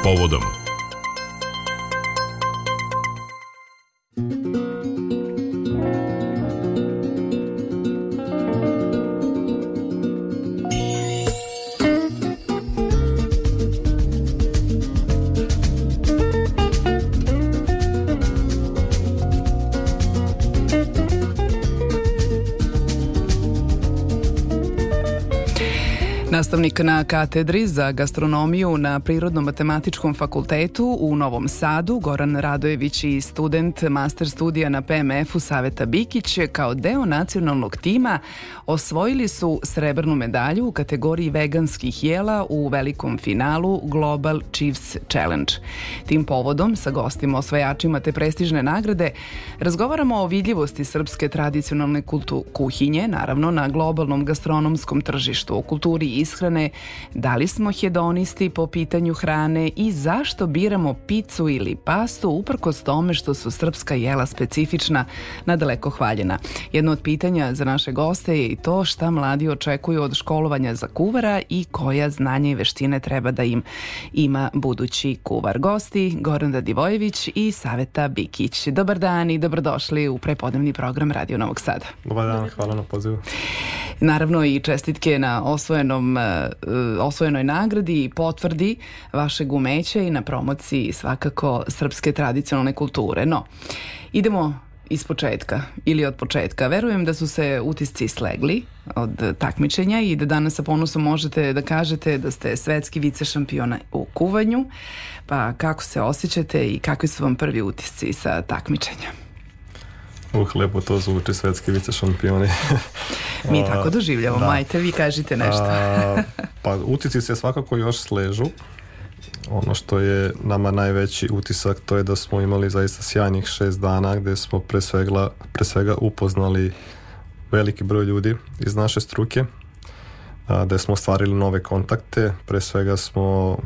povodom. Nastavnik na katedri za gastronomiju na Prirodno-matematičkom fakultetu u Novom Sadu, Goran Radojević i student master studija na PMF-u Saveta Bikić kao deo nacionalnog tima osvojili su srebrnu medalju u kategoriji veganskih jela u velikom finalu Global Chiefs Challenge. Tim povodom sa gostima osvajačima te prestižne nagrade razgovaramo o vidljivosti srpske tradicionalne kuhinje, naravno na globalnom gastronomskom tržištu, o kulturi ishrane, da li smo hedonisti po pitanju hrane i zašto biramo picu ili pastu uprkos tome što su srpska jela specifična, nadaleko hvaljena. Jedno od pitanja za naše goste je i to šta mladi očekuju od školovanja za kuvara i koja znanja i veštine treba da im ima budući kuvar. Gosti Goran Radivojević i Saveta Bikić. Dobar dan i dobrodošli u prepodnevni program Radio Novog Sada. Dobar dan, hvala na pozivu. Naravno i čestitke na osvojenoj nagradi i potvrdi vašeg umeća i na promociji svakako srpske tradicionalne kulture. No, idemo iz početka ili od početka. Verujem da su se utisci slegli od takmičenja i da danas sa ponosom možete da kažete da ste svetski vice šampiona u kuvanju. Pa kako se osjećate i kakvi su vam prvi utisci sa takmičenja? Lepo to zvuči, svetski vice šampioni. Mi tako doživljavamo, ajte vi kažite nešto. Pa utisci se svakako još sležu. Ono što je nama najveći utisak to je da smo imali zaista sjajnih 6 dana gde smo pre svega upoznali veliki broj ljudi iz naše struke, gde smo ostvarili nove kontakte, pre svega smo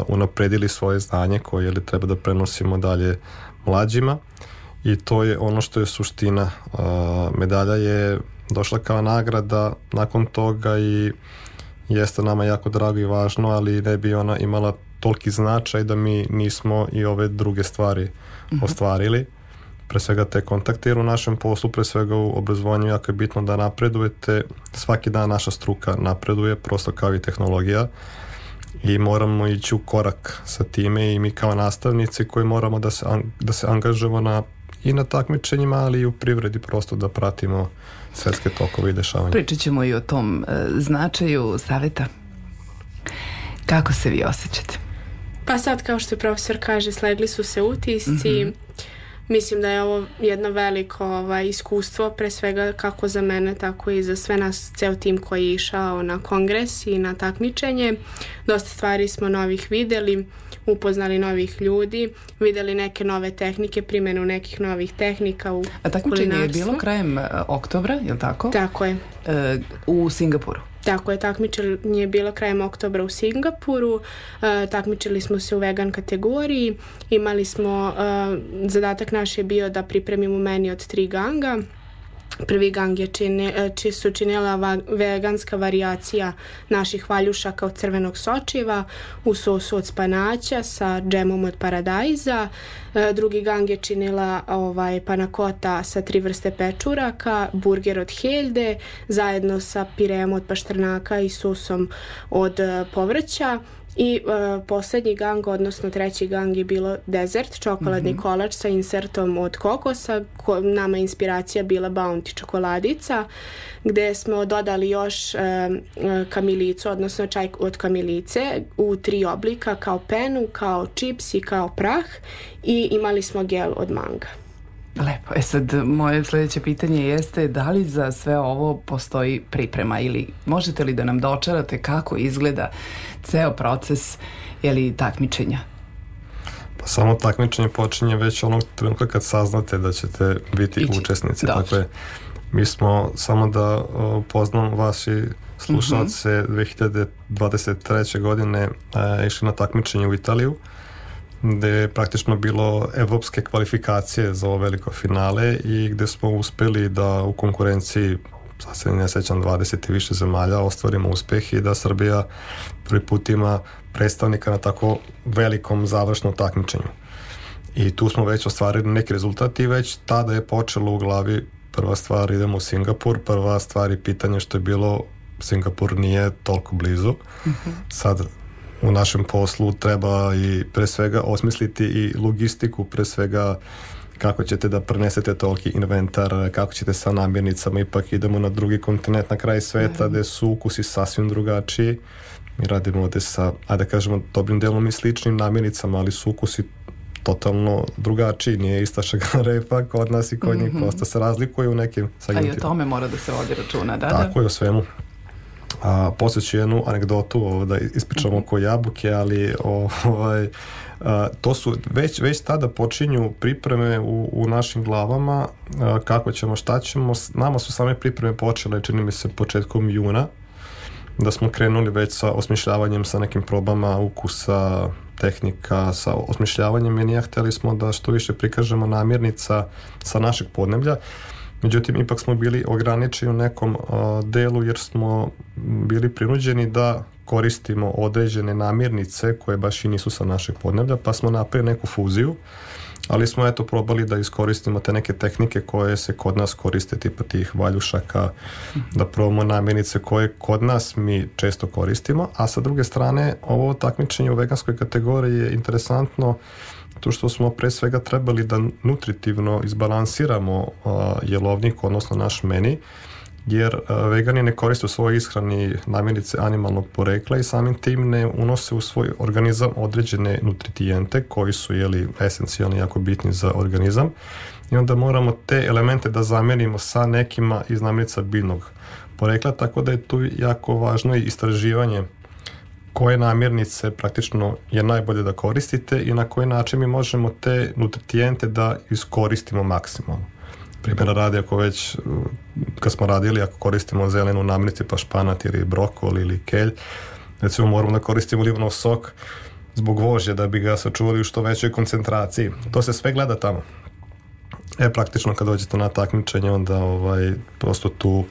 unapredili svoje znanje koje treba da prenosimo dalje mlađima i to je ono što je suština. Medalja je došla kao nagrada nakon toga i jeste nama jako drago i važno, ali ne bi ona imala toliki značaj da mi nismo i ove druge stvari ostvarili. Pre svega te kontakte, jer u našem poslu, pre svega u obrazovanju jako je bitno da napredujete. Svaki dan naša struka napreduje, prosto kao i tehnologija, i moramo ići u korak sa time i mi kao nastavnici koji moramo da se angažujemo i na takmičenjima, ali i u privredi, prosto da pratimo svetske tokove i dešavanja. Pričat ćemo i o tom značaju. Saveta, kako se vi osjećate? Pa sad, kao što profesor kaže, slegli su se utisci. Mislim da je ovo jedno veliko iskustvo, pre svega kako za mene, tako i za sve nas, ceo tim koji je išao na kongres i na takmičenje. Dosta stvari smo novih videli, upoznali novih ljudi, videli neke nove tehnike, primjenu nekih novih tehnika u kulinarstvu. A takmičenje je bilo krajem oktobra, je li tako? Tako je. U Singapuru. Tako je, takmičenje je bilo krajem oktobra u Singapuru, takmičili smo se u vegan kategoriji, imali smo, zadatak naš je bio da pripremimo meni od 3 ganga. Prvi gang su činila veganska varijacija naših valjušaka od crvenog sočiva u sosu od spanaća sa džemom od paradajza. Drugi gang je činila panakota sa 3 vrste pečuraka, burger od helde zajedno sa pireom od pašternaka i sosom od povrća. I poslednji gang, odnosno treći gang je bilo dezert, čokoladni kolač sa insertom od kokosa, nama je inspiracija bila Bounty čokoladica, gde smo dodali još kamilicu, odnosno čaj od kamilice u 3 oblika, kao penu, kao čips i kao prah, i imali smo gel od manga. Lepo. Sad, moje sljedeće pitanje jeste da li za sve ovo postoji priprema ili možete li da nam dočarate kako izgleda ceo proces takmičenja? Pa samo takmičenje počinje već onog trenutka kad saznate da ćete biti učesnici. Dakle, mi smo, samo da poznam vas i slušalce, 2023. godine išli na takmičenje u Italiju, gde je praktično bilo evropske kvalifikacije za ovo veliko finale i gde smo uspeli da u konkurenciji sad se ne sjećam, 20 i više zemalja ostvarimo uspjeh i da Srbija prvi put ima predstavnika na tako velikom završnom takmičenju. I tu smo već ostvarili neki rezultat i već tada je počelo u glavi prva stvar, idemo u Singapur, prva stvar i pitanje što je bilo, Singapur nije toliko blizu. Sad u našem poslu treba i pre svega osmisliti i logistiku, pre svega kako ćete da prenesete toliki inventar, kako ćete sa namirnicama, ipak idemo na drugi kontinent, na kraj sveta, gde su ukusi sasvim drugačiji. Mi radimo ovde sa, ajde da kažemo, dobrim delom i sličnim namirnicama, ali su ukusi totalno drugačiji, nije ista šegarepa kod nas i kod njih, prosto se razlikuje u nekim segmentima. A i o tome mora da se vodi računa, da? Tako je, o svemu. Poslije ću jednu anegdotu da ispričamo oko jabuke, ali to su već tada počinju pripreme u našim glavama, kako ćemo, šta ćemo. Nama su same pripreme počele, čini mi se, početkom juna, da smo krenuli već sa osmišljavanjem, sa nekim probama ukusa, tehnika, sa osmišljavanjem menija. Hteli smo da što više prikažemo namirnica sa našeg podneblja. Međutim, ipak smo bili ograničeni u nekom delu jer smo bili prinuđeni da koristimo određene namirnice koje baš i nisu sa našeg podneblja, pa smo napravili neku fuziju, ali smo probali da iskoristimo te neke tehnike koje se kod nas koriste, tipa tih valjušaka, da probamo namirnice koje kod nas mi često koristimo, a sa druge strane ovo takmičenje u veganskoj kategoriji je interesantno to što smo pre svega trebali da nutritivno izbalansiramo jelovnik, odnosno naš meni, jer vegani ne koriste u svojoj ishrani namirnice animalnog porekla i samim tim ne unose u svoj organizam određene nutrijente koji su esencijalni, jako bitni za organizam, i onda moramo te elemente da zamenimo sa nekima iz namirnica biljnog porekla, tako da je tu jako važno i istraživanje koje namirnice praktično je najbolje da koristite i na koji način mi možemo te nutrijente da iskoristimo maksimalno. Primjera radi, ako već kad smo radili, ako koristimo zelenu namirnicu, pa španat ili brokoli ili kelj, recimo moramo da koristimo limonov sok zbog vožnje da bi ga sačuvali u što većoj koncentraciji. To se sve gleda tamo. Praktično kad dođete na takmičenje, onda prosto tu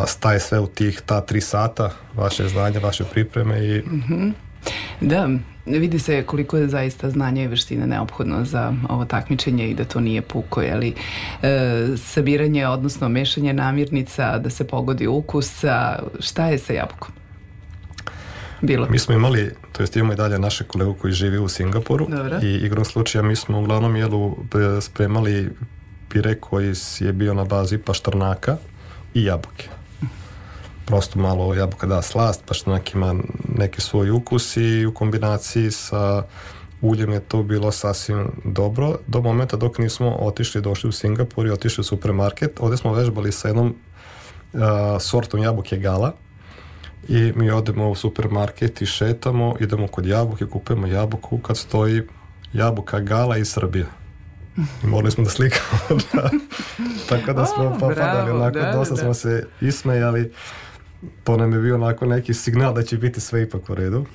staje sve u ta 3 sata, vaše znanje, vaše pripreme i... Da, vidi se koliko je zaista znanje i veštine neophodno za ovo takmičenje i da to nije puko, sabiranje, odnosno mešanje namirnica, da se pogodi ukus. Šta je sa jabukom bilo? Mi smo imali, to jest imamo i dalje naše kolegu koji živi u Singapuru. Dobro. I igrom slučaja mi smo uglavnom spremali pire koji je bio na bazi paštrnaka i jabuke. Prosto malo jabuka da slast, paštrnak ima neki svoj ukus i u kombinaciji sa uljem je to bilo sasvim dobro do momenta dok nismo došli u Singapur i otišli u supermarket. Ovdje smo vežbali sa jednom sortom jabuke Gala i mi odemo u supermarket i šetamo, idemo kod jabuke, kupujemo jabuku kad stoji jabuka Gala iz Srbije. I morali smo da slikamo. Tako da smo popadali, dosta smo se ismejali. To nam je bio onako neki signal da će biti sve ipak u redu.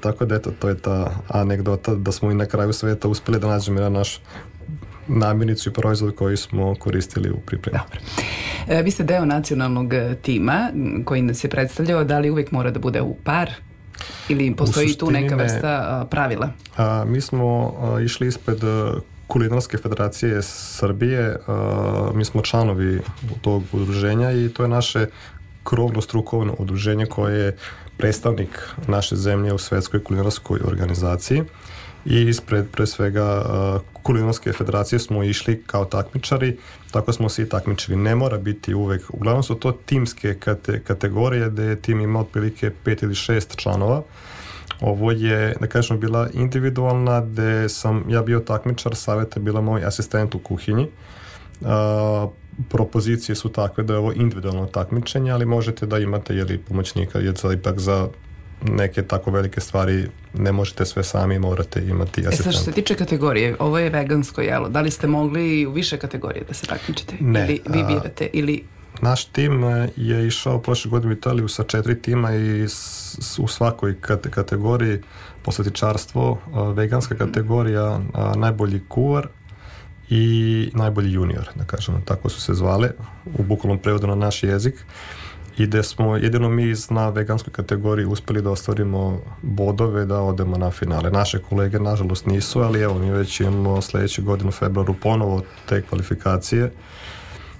Tako da to je ta anegdota da smo i na kraju sveta uspjeli da nađemo naš namirnicu i proizvod koji smo koristili u pripremi. Dobro. Vi ste deo nacionalnog tima koji nas je predstavljao. Da li uvijek mora da bude u par? Ili postoji tu neka vrsta pravila? Mi smo išli ispred Kulinarske federacije Srbije. Mi smo članovi tog udruženja i to je naše krovno strukovno udruženje koje je predstavnik naše zemlje u Svetskoj kulinarskoj organizaciji i ispred pre svega Kulinarske federacije smo išli kao takmičari, tako smo se i takmičili. Ne mora biti uvek, uglavnom su to timske kategorije gde tim ima otprilike 5 ili 6 članova. Ovo je, da kažem, bila individualna gde sam ja bio takmičar, saveta bila moj asistent u kuhinji. Propozicije su takve da je ovo individualno takmičenje, ali možete da imate pomoćnika, jer ipak za neke tako velike stvari ne možete sve sami, morate imati asistenta. Što se tiče kategorije, ovo je vegansko jelo, da li ste mogli u više kategorije da se takmičite? Ne. Ili vi birate? Naš tim je išao prošle godine u Italiju sa 4 tima i u svakoj kategoriji, poslatičarstvo, veganska kategorija, najbolji kuvar i najbolji junior, da kažemo, tako su se zvale, u bukvalnom prevodu na naš jezik, i gde smo jedino mi na veganskoj kategoriji uspeli da ostvarimo bodove da odemo na finale. Naše kolege nažalost nisu, ali evo mi već imamo sledeće godine u februaru ponovo te kvalifikacije.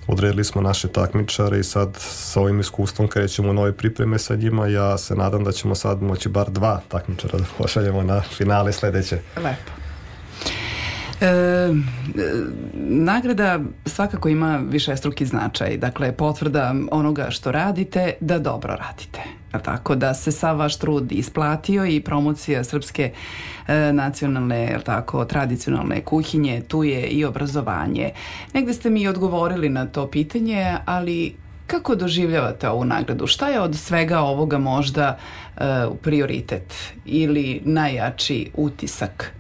Odredili smo naše takmičare i sad sa ovim iskustvom krećemo u nove pripreme sa njima. Ja se nadam da ćemo sad moći bar 2 takmičara da pošaljemo na finale sledeće. Lepo. Nagrada svakako ima višestruki značaj, dakle potvrda onoga što radite da dobro radite, tako da se sav vaš trud isplatio i promocija srpske nacionalne, tako, tradicionalne kuhinje, tu je i obrazovanje. Negde ste mi odgovorili na to pitanje, ali kako doživljavate ovu nagradu? Šta je od svega ovoga možda prioritet ili najjači utisak?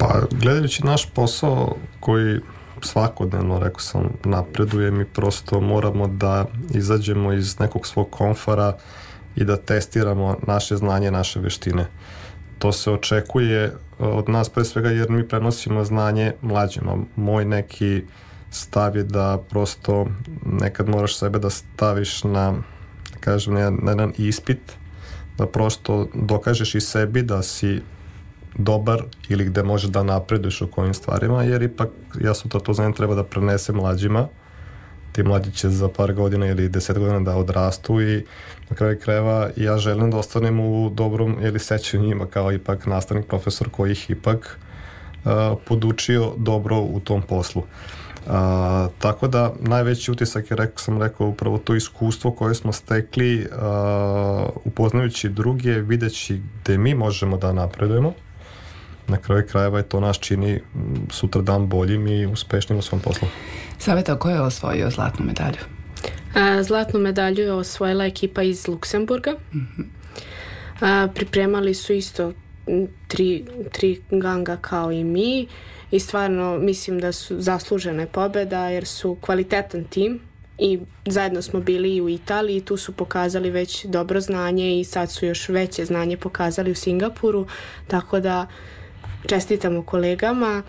Pa, gledajući naš posao koji svakodnevno, rekao sam, napreduje, mi prosto moramo da izađemo iz nekog svog komfora i da testiramo naše znanje, naše veštine. To se očekuje od nas pre svega jer mi prenosimo znanje mlađima. Moj neki stav je da prosto nekad moraš sebe da staviš na, kažem, na jedan ispit, da prosto dokažeš i sebi da si dobar ili gde možeš da napreduješ u kojim stvarima, jer ipak jasno to znanje treba da prenese mlađima. Ti mlađi će za par godina ili 10 godina da odrastu i na kraju krajeva ja želim da ostanem u dobrom ili sećanju njima kao ipak nastavnik, profesor koji ih ipak podučio dobro u tom poslu. Tako da najveći utisak je, sam rekao, upravo to iskustvo koje smo stekli upoznajući druge, videći gde mi možemo da napredujemo. Na kraju krajeva je to nas čini sutra dan boljim i uspešnim u svom poslu. Saveta, ko je osvojio zlatnu medalju? Zlatnu medalju je osvojila ekipa iz Luksemburga. Pripremali su isto tri ganga kao i mi i stvarno mislim da su zaslužene pobjeda jer su kvalitetan tim i zajedno smo bili i u Italiji i tu su pokazali već dobro znanje i sad su još veće znanje pokazali u Singapuru, tako da čestitamo kolegama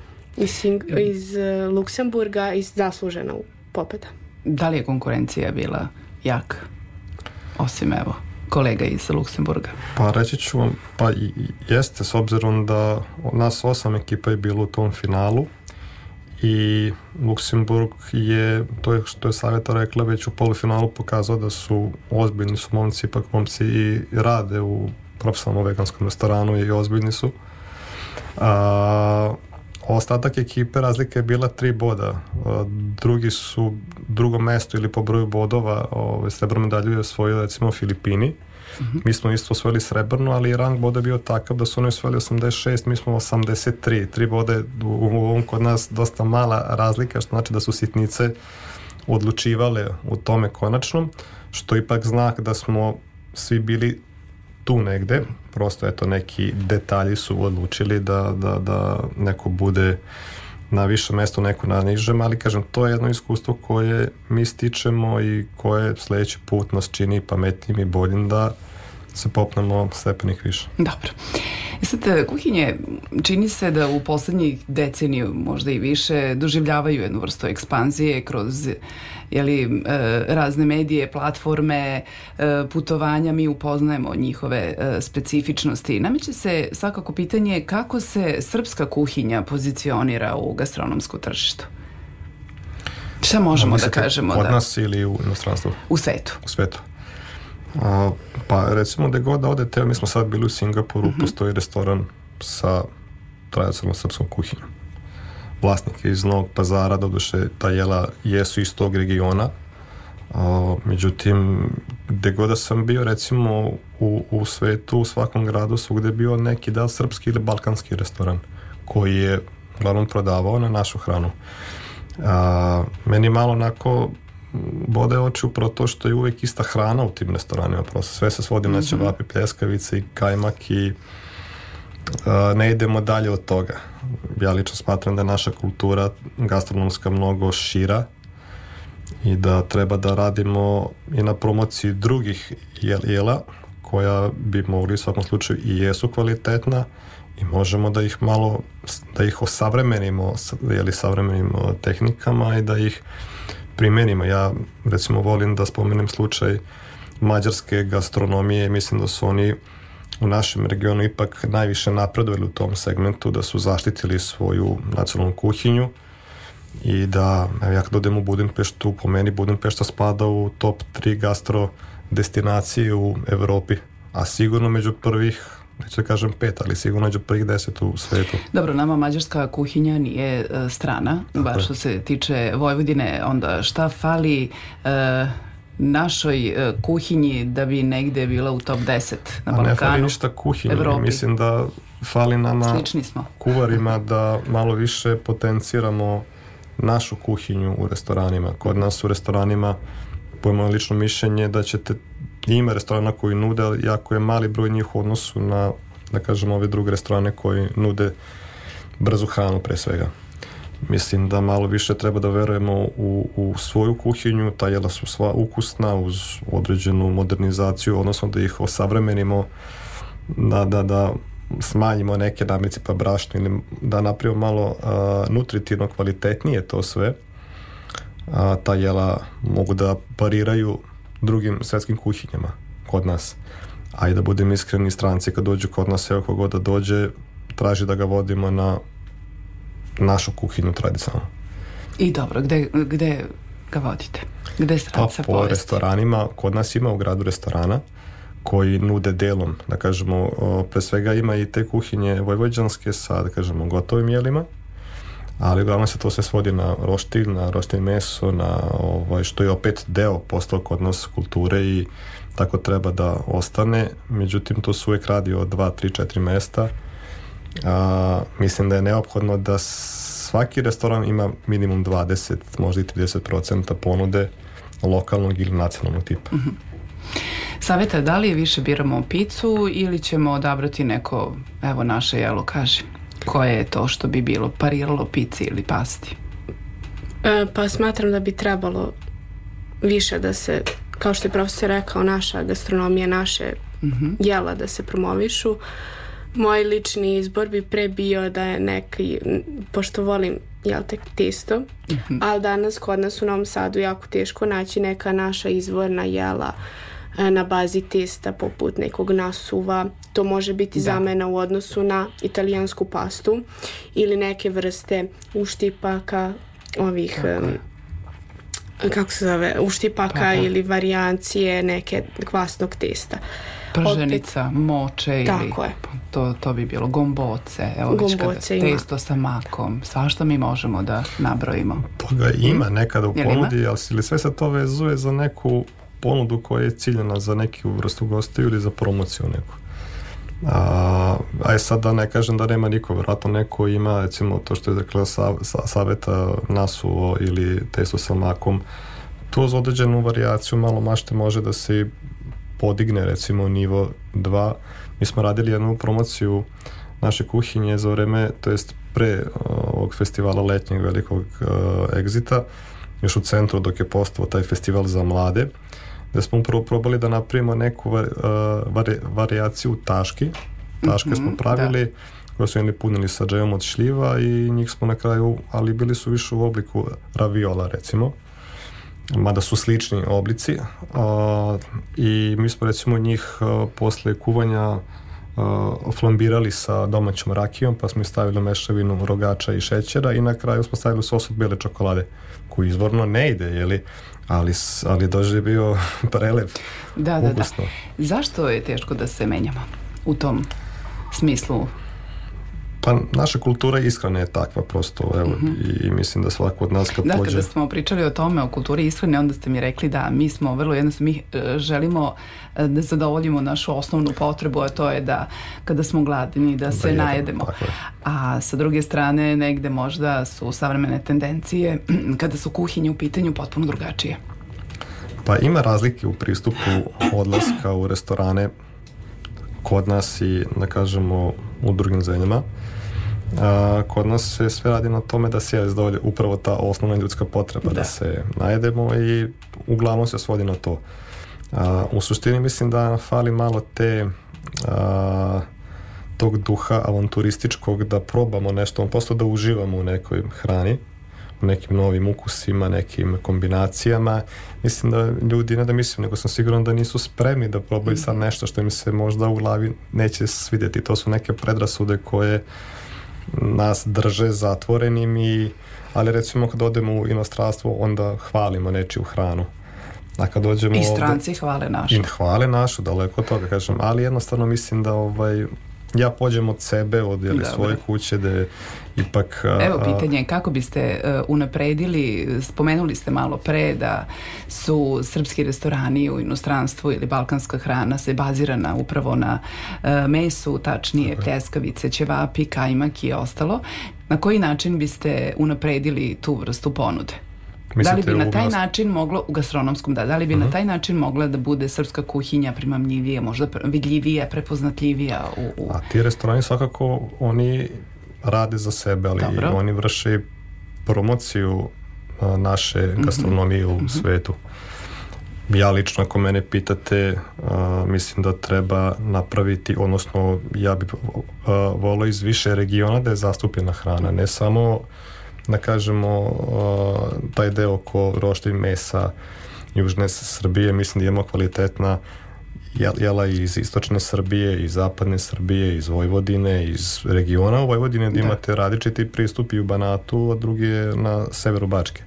iz Luksemburga i zaslužena pobjeda. Da li je konkurencija bila jaka? Osim evo kolega iz Luksemburga. Pa reći ću vam, pa jeste, s obzirom da nas 8 ekipa je bilo u tom finalu i Luksemburg je, to je što je Saveta rekla, već u polufinalu pokazao da su ozbiljni su momci, ipak momci i rade u profesionalnom veganskom restoranu i ozbiljni su. Ostatak ekipe razlika je bila 3 boda. Drugo mesto ili po broju bodova srebrnu medalju je osvojili recimo Filipini. Mi smo isto osvojili srebrnu, ali rang boda je bio takav da su oni osvojili 86, mi smo 83. 3 boda je u ovom kod nas dosta mala razlika, što znači da su sitnice odlučivale u tome konačnom, što ipak znak da smo svi bili tu negde, prosto eto neki detalji su odlučili da neko bude na više mesto, neko na nižem, ali kažem, to je jedno iskustvo koje mi stičemo i koje sledeći put nas čini pametnim i boljim da se popnemo stepenik više. Dobro. Sad, kuhinje čini se da u poslednjih deceniju, možda i više, doživljavaju jednu vrstu ekspanzije kroz razne medije, platforme, putovanja, mi upoznajemo njihove specifičnosti. Nameće se svakako pitanje kako se srpska kuhinja pozicionira u gastronomsku tržištu. Šta možemo da kažemo? Kod nas ili u inostranstvu? U svetu. U svetu. Pa recimo da god da odete, mi smo sad bili u Singapuru, postoji restoran sa tradicionalnom srpskom kuhinjom. Vlasnik je iz Novog Pazara, doduše ta jela jesu iz tog regiona, međutim gde god da sam bio recimo u svetu, u svakom gradu svugde je bio neki da srpski ili balkanski restoran koji je uglavnom prodavao na našu hranu. Meni malo onako bode oči upravo to što je uvek ista hrana u tim restoranima, prosto sve se svodi na ćevapi, pljeskavice i kajmak i ne idemo dalje od toga. Ja lično smatram da je naša kultura gastronomska mnogo šira i da treba da radimo i na promociji drugih jela koja bi mogli u svakom slučaju i jesu kvalitetna i možemo da ih osavremenimo savremenim tehnikama i da ih primenimo. Ja recimo volim da spomenem slučaj mađarske gastronomije. Mislim da su oni u našem regionu ipak najviše napredovali u tom segmentu, da su zaštitili svoju nacionalnu kuhinju i da, ja kad odem u Budimpeštu, po meni Budimpešta spada u top 3 gastro destinacije u Evropi, a sigurno među prvih, neću da kažem 5, ali sigurno među prvih 10 u svetu. Dobro, nama mađarska kuhinja nije strana, baš što se tiče Vojvodine, onda šta fali našoj kuhinji da bi negde bila u top 10 na Balkanu, ne fali ništa kuhinji, Evropi. Mislim da fali nama kuvarima da malo više potenciramo našu kuhinju u restoranima. Kod nas u restoranima, po moje lično mišljenje, da ćete, ima restorana koji nude, ali jako je mali broj njih u odnosu na, da kažem, ove druge restorane koji nude brzu hranu pre svega. Mislim da malo više treba da verujemo u svoju kuhinju, ta jela su sva ukusna uz određenu modernizaciju, odnosno da ih osavremenimo, da smanjimo neke namirnice pa brašno ili da napravimo malo nutritivno kvalitetnije to sve. Ta jela mogu da pariraju drugim svetskim kuhinjama kod nas. A i da budem iskreni, stranci kad dođu kod nas, evo kogod da dođe, traži da ga vodimo na našu kuhinju tradicionalno. I dobro, gde ga vodite? Gde stranca po restoranima, kod nas ima u gradu restorana koji nude delom, da kažemo, pre svega ima i te kuhinje vojvođanske sa, da kažemo, gotovim jelima, ali uglavnom se to sve svodi na roštilj meso, na što je opet deo postao kod nas kulture i tako treba da ostane. Međutim, to se uvijek radi od 2, 3, 4 mesta. Mislim da je neophodno da svaki restoran ima minimum 20, možda i 30% ponude lokalnog ili nacionalnog tipa. Mm-hmm. Saveta, da li više biramo picu ili ćemo odabrati neko, evo naše jelo, kaži, koje je to što bi bilo pariralo pici ili pasti? Pa smatram da bi trebalo više da se, kao što je profesor rekao, naša gastronomija, naše jela da se promovišu. Moj lični izbor bi pre bio da je neki, pošto volim testo, ali danas kod nas u Novom Sadu jako teško naći neka naša izvorna jela na bazi testa poput nekog nasuva. To može biti zamena u odnosu na italijansku pastu ili neke vrste uštipaka, uštipaka ili varijancije neke kvasnog testa. Prženica, moče ili to bi bilo gomboce, evo već kada testo sa makom, svašta mi možemo da nabrojimo. Toga ima nekada u ponudi, ali sve se to vezuje za neku ponudu koja je ciljena za neku vrstu gostiju ili za promociju neku. Sad da ne kažem da nema niko, vjerojatno neko ima, recimo to što je rekla Saveta, nasuvo ili testo sa makom, to za određenu varijaciju malo mašte može da se podigne, recimo nivo 2. Mi smo radili jednu promociju naše kuhinje za vreme, to jest pre ovog festivala letnjeg velikog Exita, još u centru dok je postao taj festival za mlade, gde smo upravo probali da napravimo neku varijaciju taški. Taške smo pravili, koje su jedni punili sa džemom od šljiva i njih smo na kraju, ali bili su više u obliku raviola, recimo, mada su slični oblici, i mi smo recimo njih posle kuvanja flambirali sa domaćom rakijom, pa smo stavili mešavinu rogača i šećera i na kraju smo stavili sos od bele čokolade, koji izvorno ne ide, ali doživio prelev. Da. Zašto je teško da se menjamo u tom smislu? Pa naša kultura ishrane je takva prosto, evo, i mislim da svako od nas kad pođe... Kada smo pričali o tome, o kulturi ishrane, onda ste mi rekli da mi smo vrlo jednostavno, mi želimo da zadovoljimo našu osnovnu potrebu, a to je da kada smo gladni da se najedemo. A sa druge strane negde možda su savremene tendencije kada su kuhinje u pitanju potpuno drugačije. Pa ima razlike u pristupu odlaska u restorane kod nas i, da kažemo, u drugim zemljama. Kod nas se sve radi na tome da se zadovolji upravo ta osnovna ljudska potreba, da se najedemo i uglavnom se svodi na to. U suštini mislim da fali malo tog duha avanturističkog, da probamo nešto, prosto da uživamo u nekoj hrani, u nekim novim ukusima, nekim kombinacijama. Mislim da ljudi, ne da mislim, nego sam siguran da nisu spremni da probaju sad nešto što im se možda u glavi neće svidjeti. To su neke predrasude koje nas drže zatvorenim, ali recimo kad odemo u inostranstvo onda hvalimo nečiju hranu. A kad dođemo i stranci hvale našu. I hvale našu, daleko od toga kažem, ali jednostavno mislim da ja pođem od sebe, od svoje kuće, da je ipak... Evo pitanje, kako biste unapredili, spomenuli ste malo pre da su srpski restorani u inostranstvu ili balkanska hrana se bazirana upravo na mesu, tačnije pljeskavice, ćevapi, kajmak i ostalo. Na koji način biste unapredili tu vrstu ponude? Da li bi na taj način moglo, u gastronomskom, da li bi na taj način mogla da bude srpska kuhinja primamljivija, možda vidljivija, prepoznatljivija? A ti restorani svakako, oni rade za sebe, ali oni vrše promociju naše gastronomije u svetu. Ja lično, ako mene pitate, mislim da treba napraviti, odnosno ja bih volio iz više regiona da je zastupljena hrana, ne samo da kažemo taj deo oko roštilj mesa južne Srbije. Mislim da imamo kvalitetna jela iz istočne Srbije, iz zapadne Srbije, iz Vojvodine, iz regiona u Vojvodine, da imate različiti pristup i u Banatu, a drugi je na severu Bačke.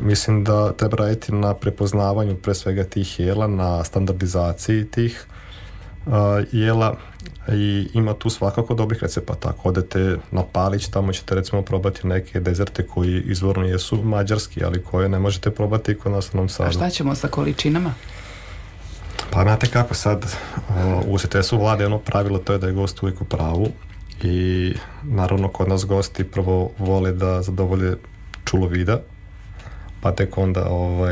Mislim da treba raditi na prepoznavanju pre svega tih jela, na standardizaciji tih jela, i ima tu svakako dobrih recepata. Ako odete na Palić, tamo ćete recimo probati neke dezerte koji izvorno jesu mađarski, ali koje ne možete probati kod nas u Novom Sadu. A šta ćemo sa količinama? Pa znate kako sad, u ugostiteljstvu vlade jedno pravilo, to je da je gost uvijek u pravu, i naravno kod nas gosti prvo vole da zadovolje čulo vida, pa tek onda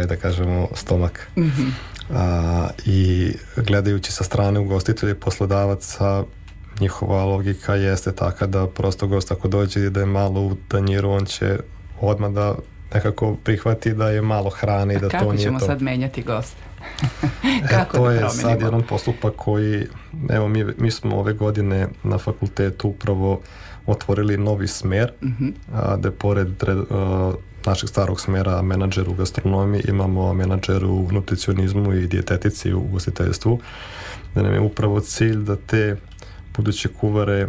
da kažemo stomak. I gledajući sa strane ugostitelja i poslodavaca, njihova logika jeste taka da prosto gost ako dođe i da je malo u tanjiru, on će odmah da nekako prihvati da je malo hrane i da to nije to. Kako ćemo sad menjati goste? To je sad jedan postupak koji, evo mi smo ove godine na fakultetu upravo otvorili novi smer, da pored našeg starog smera menadžer u gastronomiji imamo menadžer u nutricionizmu i dijetetici u ugostiteljstvu, da nam je upravo cilj da te buduće kuvare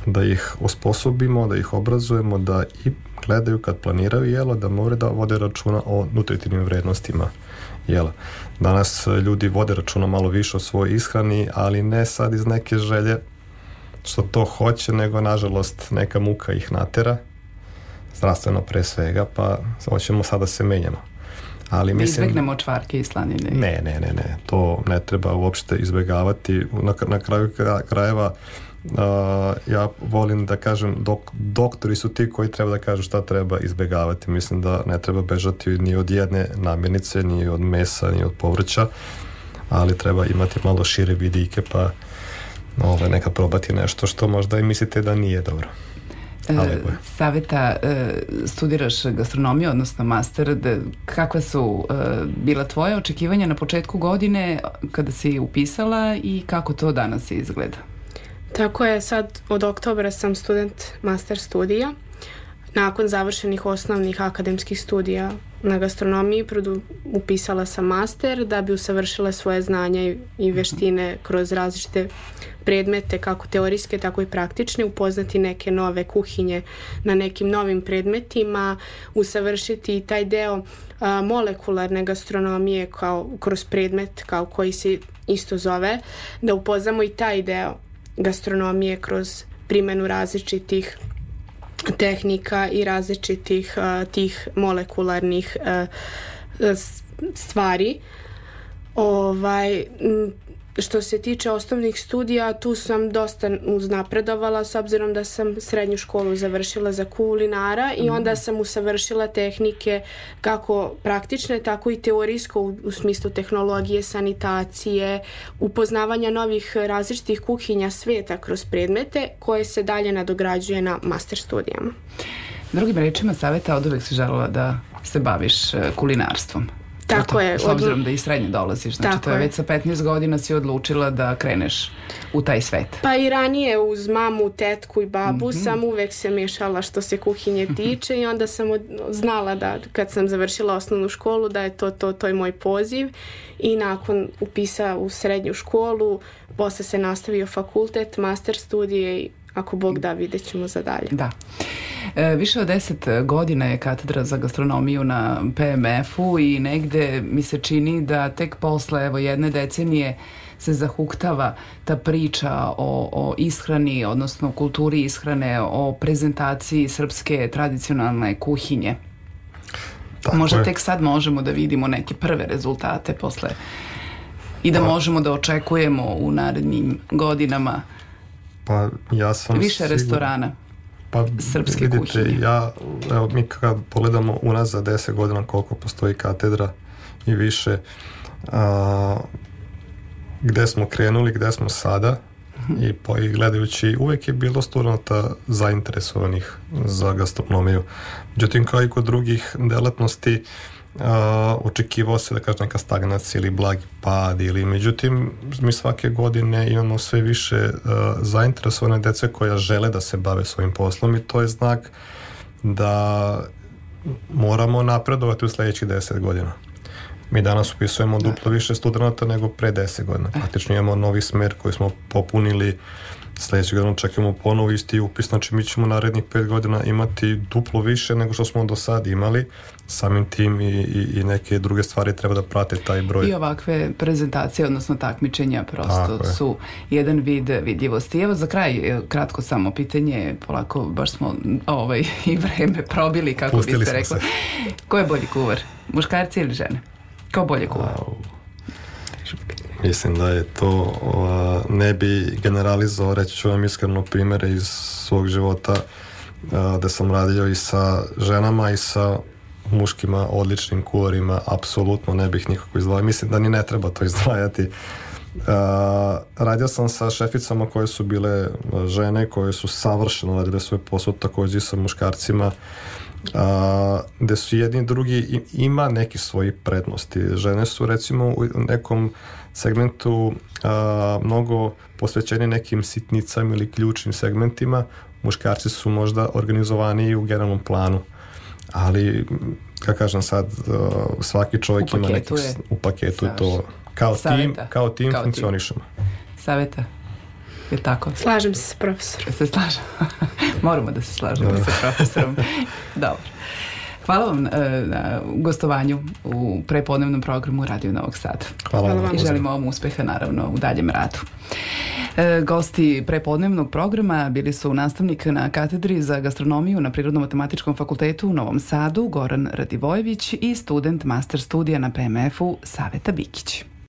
da ih osposobimo, da ih obrazujemo, da i gledaju kad planiraju jelo, da moraju da vode računa o nutritivnim vrednostima jela. Danas ljudi vode računa malo više o svojoj ishrani, ali ne sad iz neke želje što to hoće, nego nažalost neka muka ih natera, zdravstveno pre svega, pa hoćemo sada da se menjamo. Ali mislim, izbegnemo čvarke i slanine. Ne, to ne treba uopšte izbegavati. Na kraju krajeva ja volim da kažem, doktori su ti koji treba da kažu šta treba izbegavati. Mislim da ne treba bežati ni od jedne namirnice, ni od mesa, ni od povrća, ali treba imati malo šire vidike, pa nekad probati nešto što možda i mislite da nije dobro. Saveta, studiraš gastronomiju, odnosno master. Kakva su bila tvoja očekivanja na početku godine kada si upisala i kako to danas izgleda? Tako je, sad od oktobra sam student master studija. Nakon završenih osnovnih akademskih studija na gastronomiji upisala sam master da bi usavršila svoje znanja i veštine kroz različite predmete, kako teorijske, tako i praktične, upoznati neke nove kuhinje na nekim novim predmetima, usavršiti taj deo molekularne gastronomije kroz predmet koji se isto zove, da upoznamo i taj deo gastronomije kroz primjenu različitih tehnika i različitih tih molekularnih stvari. Što se tiče osnovnih studija, tu sam dosta uznapredovala s obzirom da sam srednju školu završila za kulinara i onda sam usavršila tehnike kako praktične, tako i teorijsko u smislu tehnologije, sanitacije, upoznavanja novih različitih kuhinja sveta kroz predmete koje se dalje nadograđuje na master studijama. Drugim rečima, Saveta, od uvek si želela da se baviš kulinarstvom. Tako je. S obzirom da i srednje dolaziš, znači to je već sa 15 godina si odlučila da kreneš u taj svet. Pa i ranije uz mamu, tetku i babu sam uvek se mešala što se kuhinje tiče i onda sam znala da kad sam završila osnovnu školu da je to je moj poziv i nakon upisa u srednju školu, posle se nastavio fakultet, master studije i ako Bog da, vidjet ćemo za dalje. Da. Više od 10 godina je katedra za gastronomiju na PMF-u i negde mi se čini da tek posle jedne decenije se zahuktava ta priča o ishrani, odnosno kulturi ishrane, o prezentaciji srpske tradicionalne kuhinje. Tako možda tek sad možemo da vidimo neke prve rezultate posle i da možemo da očekujemo u narednim godinama više restorana srpske kuhinje. Mi kad pogledamo unazad 10 godina koliko postoji katedra i više, gde smo krenuli, gde smo sada i gledajući, uvek je bilo studenata zainteresovanih za gastronomiju. Međutim, kao i kod drugih delatnosti, očekivao se da kaže neka stagnacija ili blagi pad međutim mi svake godine imamo sve više zainteresovane dece koja žele da se bave svojim poslom i to je znak da moramo napredovati u sledećih 10 godina. Mi danas upisujemo duplo više studenta nego pre 10 godina. Praktično imamo novi smer koji smo popunili. Sljedećeg godina čekamo ponovo isti upis, znači mi ćemo narednih 5 godina imati duplo više nego što smo do sad imali. Samim tim i neke druge stvari treba da prate taj broj. I ovakve prezentacije, odnosno takmičenja prosto su jedan vid vidljivosti. Evo za kraj, kratko samo pitanje, polako baš smo i vreme probili, kako biste rekli. Ko je bolji kuvar? Muškarci ili žene? Ko bolje kuvar? Mislim da je to, ne bi generalizovao, reći ću vam iskreno primere iz svog života da sam radio i sa ženama i sa muškima odličnim kuvarima, apsolutno ne bih nikako izdvajao. Mislim da ni ne treba to izdvajati. Radio sam sa šeficama koje su bile žene, koje su savršeno radile svoj posao, također i sa muškarcima, gde su jedni i drugi ima neki svoji prednosti. Žene su recimo u nekom segmentu mnogo posvećeni nekim sitnicama ili ključnim segmentima, muškarci su možda organizovaniji u generalnom planu, ali kako kažem sad, svaki čovjek ima neki u paketu to kao tim funkcionišemo. Saveta, je tako? Slažem se s profesorom. Se slažem. Moramo da se slažemo sa profesorom. Dobro. Hvala vam na gostovanju u prepodnevnom programu Radio Novog Sada. Hvala vam. I želimo vam uspeha naravno u daljem radu. Gosti prepodnevnog programa bili su nastavnik na katedri za gastronomiju na Prirodno-matematičkom fakultetu u Novom Sadu Goran Radivojević i student master studija na PMF-u Saveta Bikić.